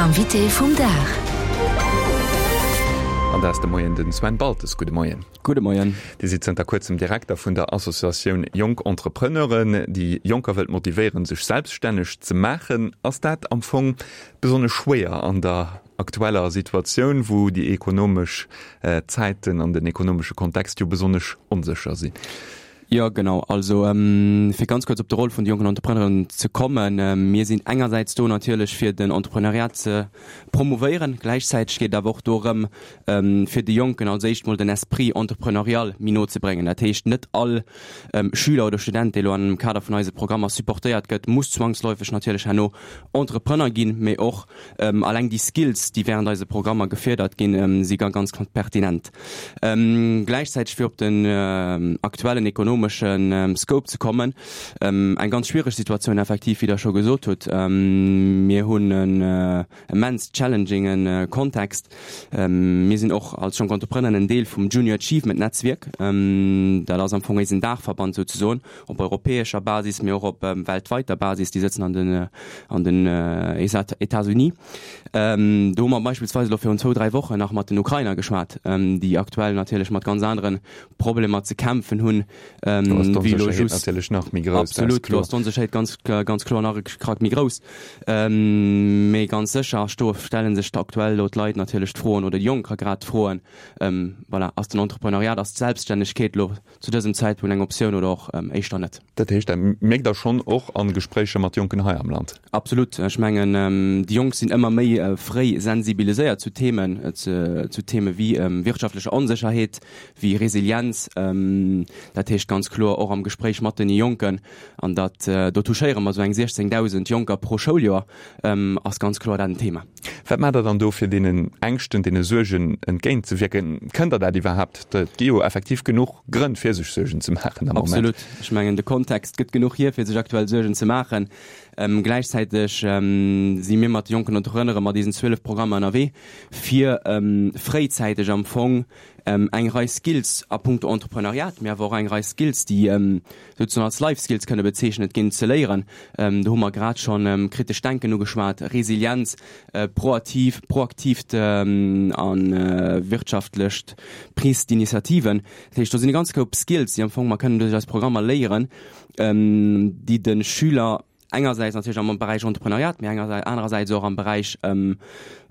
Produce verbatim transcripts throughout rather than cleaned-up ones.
Invité vum Dag. An dat ass de Moien den Sven Baltes. Gudde Moien. Gudde Moien. Dir sidd zënter kuerzem Direkter vun der Associatioun Jonk Entrepreneuren, déi Jonker wëllt motivéieren, sech selbststänneg ze maachen. Ass dat am Fong besonnesch schwéier an der aktueller Situatioun, wou déi ekonomesch Zäiten an den ekonomesche Kontext jo besonnesch onsécher sinn? Jo, genau. Also fir ganz kuerz op de Roll vun de jonken Entrepreneuren ze kommen, Mir sinn engersäits do natierlech fir den Entrepreneuriat ze promouvéieren. Gläichzäiteg geet et awer och dorëm, fir de Jonken als éischt mol den Esprit entrepreneurial méi no ze bréngen. Dat heescht, net all Schüler oder Student, dee lo am Kader vun eise Programmer supportéiert gëtt, muss zwangsläufeg natierlech herno Entrepreneur ginn, mee och alleng déi Skills, déi während eise Programmer gefierdert ginn, si ganz pertinent. Gläichzäiteg, fir op den aktuellen ekonomesche Scope ze kommen, eng ganz schwiereg Situatioun effektiv, wéi Der scho gesot hutt. Mir hunn en immens challengingen Kontext. Mir sinn och als Jonk Entrepreneuren en Deel vum Junior Achievement Netzwierk. Dat ass am Fong eisen Daachverband souzesoen op europäescher Basis, mee och op weltweiter Basis. Déi sëtzen an den an den États-Unis. Do hu mer beispillsweis elo virun zwou, dräi Wochen nach mat den Ukrainer geschwat, déi aktuell natierlech mat ganz anere Problemer ze kämpfen hunn, wéi elo just. Natierlech nach méi grouss. Absolut, do ass d'Onsécherheet ganz, ganz kloer nach e Krack méi grouss. Mee ganz sécher sto stelle sech aktuell elo d'Leit natierlech d'Froen, oder déi Jonker grad d'Froen, voilà, ass den Entrepreneuriat, ass d'Selbststännegkeet elo zu dësem Zäitpunkt eng Optioun oder och éischter net? Dat heescht, dat mierkt Der schonn och a Gespréicher mat Jonken hei am Land? Absolut. Ech mengen, déi Jonk sinn ëmmer méi fréi sensibiliséiert zu Themen, zu Theme wéi wirtschaftlecher Onsécherheet, wéi Resilienz. Dat heescht ganz kloer och am Gespréich mat den Jonken, an dat, do touchéiere mer esou eng siechzéngdausend Jonker pro Schouljoer, ass ganz kloer dat en Thema. Wat maacht Der dann do, fir deenen Ängschten, deene Suergen entgéintzewierken? Kënnt Der dat iwwerhaapt? Et gi jo effektiv genuch Grënn, fir sech Suergen ze maachen am Moment. Absolut. Ech mengen, de Kontext gëtt genuch hier, fir sech aktuell Suergen ze maachen. Gläichzäiteg si mir mat de jonken Entrepreneure mat diesen zwielef Programmer ënnerwee, fir fréizäiteg am Fong eng Rei Skills a puncto Entrepreneuriat, mee awer och eng Rei Skills, déi souzesoen als Life Skills kënne bezeechnet ginn, ze léieren. Do hu mer grad schonn kritescht Denken ugeschwat, Resilienz, proaktiv, proaktiivt a wirtschaftlecht Prise d'initiativen. Dat heescht, do sinn e ganz Koup Skills, déi am Fong mer kënnen duerch eis Programmer léieren, déi de Schüler engersäits natierlech am Beräich Entrepreneuriat, mee engersäits, anerersäits och am Beräich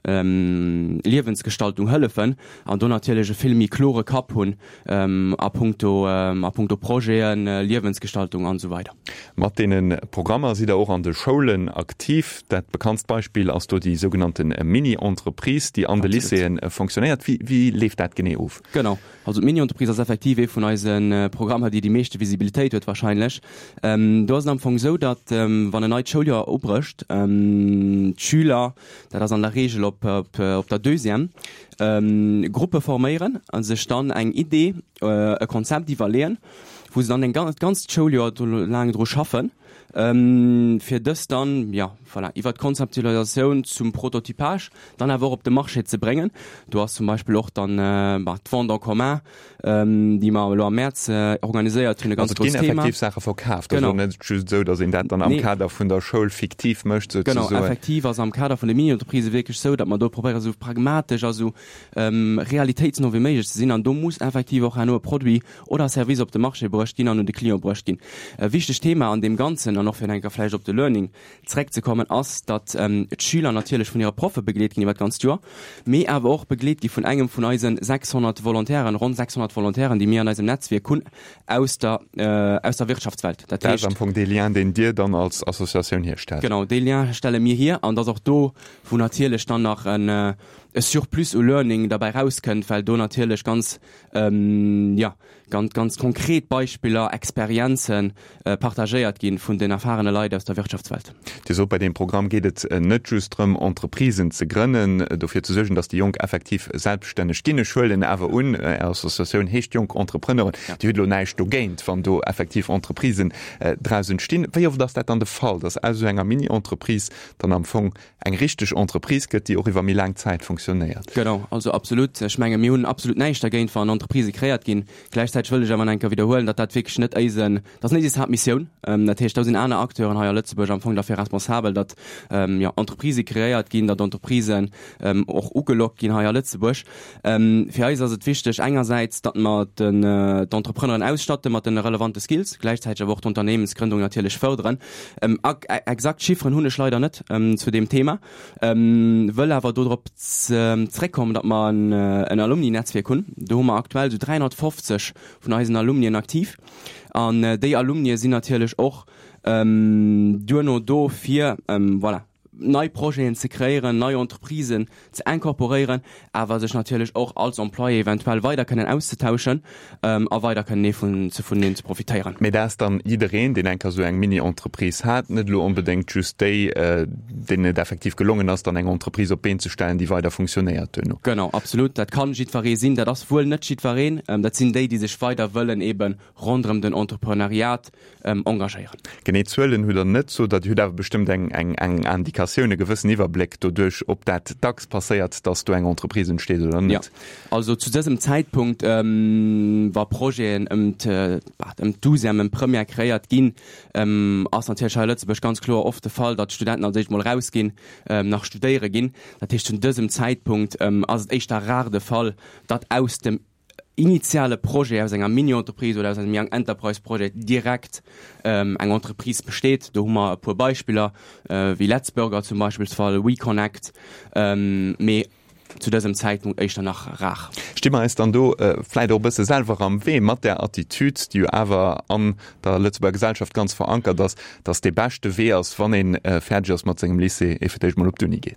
Liewensgestaltung hëllefen an do natierlech e vill méi klore Kapp hunn a puncto, a puncto Projeten, Liewensgestaltung an esou weider. Mat deene Programmer sidd Der och an de Schoulen aktiv. Dat bekanntst Beispill ass do déi sougenannte Mini-Entreprise, déi an de Lycéeë fonctionnéiert. Wéi, wéi leeft dat genee of? Genau. Also d'Mini-Entreprise ass effektiv ee vun eise Programmer, déi déi meeschte Visibilitéit huet wahrscheinlech. Do ass et am Fong esou, datt wann en neit Schouljoer ubrécht, d'Schüler, dat ass an der Reegel op op der Deuxième, Gruppe forméieren a sech dann eng Idee, e Konzept iwwerleeën, wou se dann en ganzt Schouljoer laang dru schaffen, fir dës dann, jo, voilà, iwwer d'Konzeptualisatioun zum Prototypage dann awer och op de Marché ze bréngen. Do ass zum Beispill och dann, bah, d'Vente en commun, déi mer elo am Mäerz organiséiert hunn, e ganz Also et grousst ginn Thema. effektiv Saache verkaaft, also Genau. net just esou, datt een dat dann am Nee. Kader vun der Schoul fiktiv mécht Genau, souzesoen. effektiv ass am Kader vun de Mini-Entreprisë wierklech esou, datt mer do probéieren, esou pragmatesch a esou realitéitsno wéi méiglech ze sinn. An do muss effektiv och herno e Produit oder e Service op de Marché bruecht ginn an un de Client bruecht ginn. E wichtegt Thema an deem Ganzen, an och fir eng Kéier vläicht op de Learning zréckzekommen, ass, datt d'Schüler natierlech vun hire Proffe begleet ginn iwwer d'ganzt Joer, mee awer och begleet gi vun engem vun eise sechshonnert Volontairen, ronn sechshonnert Volontairen, déi mir an eisem Netzwierk hunn aus der, aus der Wirtschaftswelt. Dat ass am Fong dee Lien, deen Dir dann als Associatioun hierstellt. Genau, dee Lien stelle mir hier. An et ass och do, wou natierlech dann nach en Surplus u Learning derbäi rauskënnt, well do natierlech ganz, jo, ganz, ganz konkret Beispiller, Experienze partagéiert gi vun den erfahrene Leit aus der Wirtschaftswelt. Dir sot, bei deem Programm geet et net just drëm, Entreprisen ze grënnen, dofir ze suergen, datt déi Jonk effektiv selbststänneg ginn. Ech huelen awer un, Är Associatioun heescht Jonk Entrepreneuren, Dir hutt elo näischt dogéint, wann do effektiv Entreprisen draus entstinn. Wéi oft ass dat dann de Fall, datt aus esou enger Mini-Entreprise dann am Fong eng richteg Entreprise gëtt, déi och iwwer méi laang Zäit funktionéiert? fonctionnéiert. Genau, also absolut. Ech menge mir hunn absolut näischt dergéint, wann Entreprisë kreéiert ginn. Gläichzäiteg wëll ech awer nach eng Kéier widderhuelen, datt dat wierklech net eisen, dat ass net eis Haaptmissioun. Dat heescht, do sinn aner Acteuren hei a Lëtzebuerg am Fong derfir responsabel, datt, jo, Entreprisë kreéiert ginn, datt Entreprisen och ugelockt ginn hei a Lëtzebuerg. Fir eis ass et wichteg engersäits, datt mer den d'Entrepreneuren ausstatte mat de relevante Skills, gläichzäiteg awer och d'Unternehmensgründung natierlech fërderen. Exakt Chifferen hunn ech leider net zu deem Thema, wëll awer do drop zréckkommen, datt mer en Alumni-Netzwierk hunn. Do hu mer aktuell esou dräihonnertfofzeg vun eisen Alumnien aktiv an déi Alumnie sinn natierlech och duerno do fir, voilà, nei Projeten ze kreéieren, nei Entreprisen ze incorporéieren, awer sech natierlech och als Employé eventuell weider kënnen auszetauschen a weider kënnen ee vun ze vuneneen ze profitéieren. Mee dat ass dann jiddereen, deen eng Kéier esou eng Mini-Entreprise hat, net elo onbedéngt just déi, deenen et effektiv gelongen ass, dann eng Entreprise op d'Been ze stellen, déi weider funktionéiert duerno. Genau, absolut. Dat kann jiddweree sinn. Dat ass wuel net jiddwereen. Dat sinn déi, déi sech weider wëllen eebe ronderëm den Entrepreneuriat engagéieren. Genee Zuelen hutt Der net, sot Der. Dir hutt awer bestëmmt eng eng Indikatioun, e gewëssen Iwwerbléck doduerch, ob dat dacks passéiert, datt do eng Entreprise entsteet oder net. Jo, also zu dësem Zäitpunkt, wa Projeten ëm ëm d'Douzième, ëm d'Première kreéiert ginn, ass natierlech hei a Lëtzebuerg ganz kloer oft de Fall, datt d'Studenten als éischt mol erausginn, nach studéiere ginn. Dat heescht, zu dësem Zäitpunkt ass et éischter rar de Fall, datt aus dem initiale Projet aus enger Mini-Entreprise oder aus engem Young Enterprise Projet direkt eng Entreprise besteet. Do hu mer e puer Beispiller, wéi Letzburger zum Beispillsfall, WeConnect, mee zu dësem Zäitpunkt éischter nach rar. Sti mer eis dann do vläit och e bësse selwer am Wee mat där Attitüd, déi jo awer an der Lëtzebuerger Gesellschaft ganz verankert ass, dass dee beschte Wee ass, wann ee fäerdeg ass mat sengem Lycée, ee fir d'éischt mol op d'Uni geet?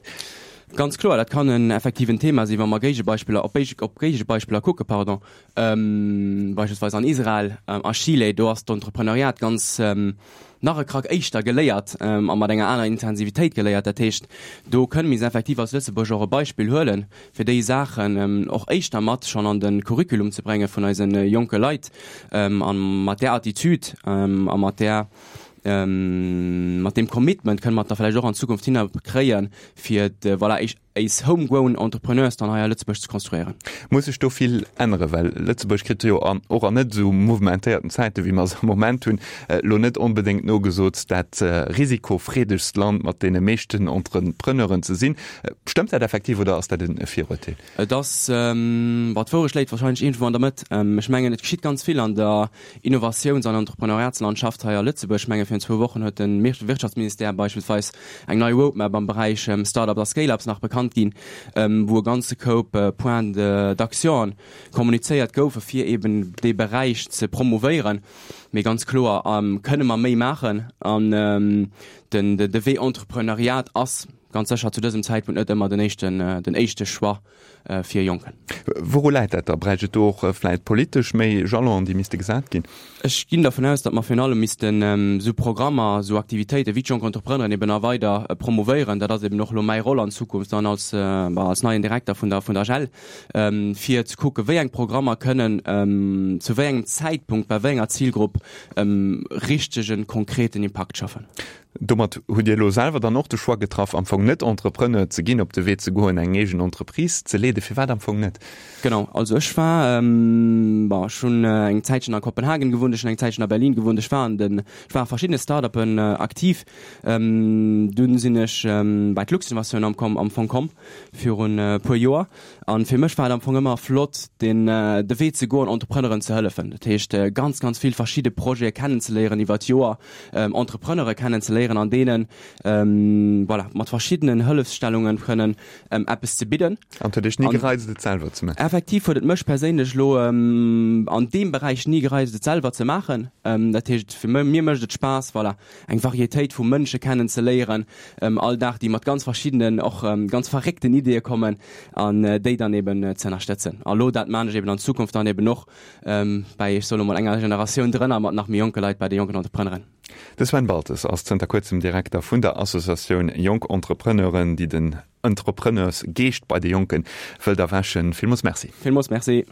Ganz kloer, dat kann en effektiven Thema sinn, wa mer Géigebeispiller, op op Géigebeispiller kucken, pardon, beispillsweis an Israel, a Chile, do ass d'Entrepreneuriat ganz nach e Krack éischter geléiert a mat enger aner Intensivitéit geléiert. Dat heescht, do kënne mir effektiv als Lëtzebuerger och e Beispill huelen, fir déi Saachen och éischter mat schonn an de Curriculum ze brénge vun eise jonke Leit a mat där Attitüd a mat där Mat deem Commitment kënne mer et da vläicht och an Zukunft hinner kréien, fir de, voilà, éis homegrown Entrepreneurs dann hei a Lëtzebuerg ze konstruéieren. Muss sech do vill änneren? Well Lëtzebuerg kritt jo an och an net esou mouvementéierten Zäiten, wéi mer se am Moment hunn, elo net onbedéngt nogesot, dat risikofreedegst Land mat deene meeschten Entrepreneuren ze sinn. Stëmmt dat effektiv oder ass dat e Virurteel? Et ass, bon, d'Wourecht léit wahrscheinlech iergendwou an der Mëtt. Ech mengen, et geschitt ganz vill an der Innovatiouns an Entrepreneuriatslandschaft hei a Lëtzebuerg. Ech menge virun zwou Wochen huet de Wirtschaftsministère beispillsweis eng nei Roadmap am Beräich Start-ups a Scale-ups nach bekannt ginn, wou e ganze Koup Points d'action kommunizéiert goufe fir eben dee Beräich ze promouvéieren. Mee ganz kloer kënne mer méi maachen an de Wee Entrepreneuriat ass ganz sécher zu dësem Zäitpunkt net ëmmer den éischten, den éischte Choix fir Jonken. Wouru läit dat da? Bräicht et do och vläit politesch méi Jalonen, déi misste gesat ginn? Ech ginn dervun aus, datt mer virun allem missten esou Programmer, esou Aktivitéiten wéi d'Jonk Entrepreneuren eben nach weider promouvéieren. Dat ass eben och elo mäi Roll an Zukunft dann als, als neien Direkter vun der, vun der AGEL, fir ze kucken, wéi eng Programmer kënnen zu wéi engem Zäitpunkt bei wéi enger Zilgrupp richtegen, konkreten Impakt schaffen. Domat hutt Dir elo selwer dann och de Choix getraff, am Fong net Entrepreneur ze ginn, op de Wee ze goen, eng eegen Entreprise ze leeden. Firwat am Fong net? Genau, also ech war, bon, ech hunn eng Zäitchen a Kopenhagen gewunnt, ech hunn eng Zäitchen a Berlin gewunnt, ech war an den, ech war a verschiddene Start-uppen aktiv. Dunn sinn ech bei d'Luxinnovation am am Fong komm virun e puer Joer. An fir mech war et am Fong ëmmer flott, den, de Wee ze goen, Entrepreneuren ze hëllefen. Dat heescht, ganz, ganz vill verschidde Projete kennenzeléieren iwwer d'Joer, Entrepreneure kennenzeléieren an deenen, voilà, mat verschiddenen Hëllefsstellungen kënnen eppes ze bidden. An et huet Iech ni gereizt, et selwer ze maachen? Effektiv huet et mech perséinlech elo an deem Beräich ni gereizt, et selwer ze maachen. Dat heescht, fir mir mécht et Spaass, voilà, eng Varietéit vu Mënsche kennenzeléieren all Dag, déi mat ganz verschiddenen, och ganz verréckten Ideeë kommen an déi dann eben ze ënnerstëtzen. A lo, dat maan ech eben an Zukunft dann eben och bäi, ech soe lo mol, enger Generatioun drënner mat nach méi jonke Leit bei de jonken Entrepreneuren. De Sven Baltes ass zënter kuerzem Direkter vun der Associatioun Jonk Entrepreneuren, déi den Entrepreneursgeescht bei de Jonke wëllt erwächen. Villmools Merci. Villmools Merci.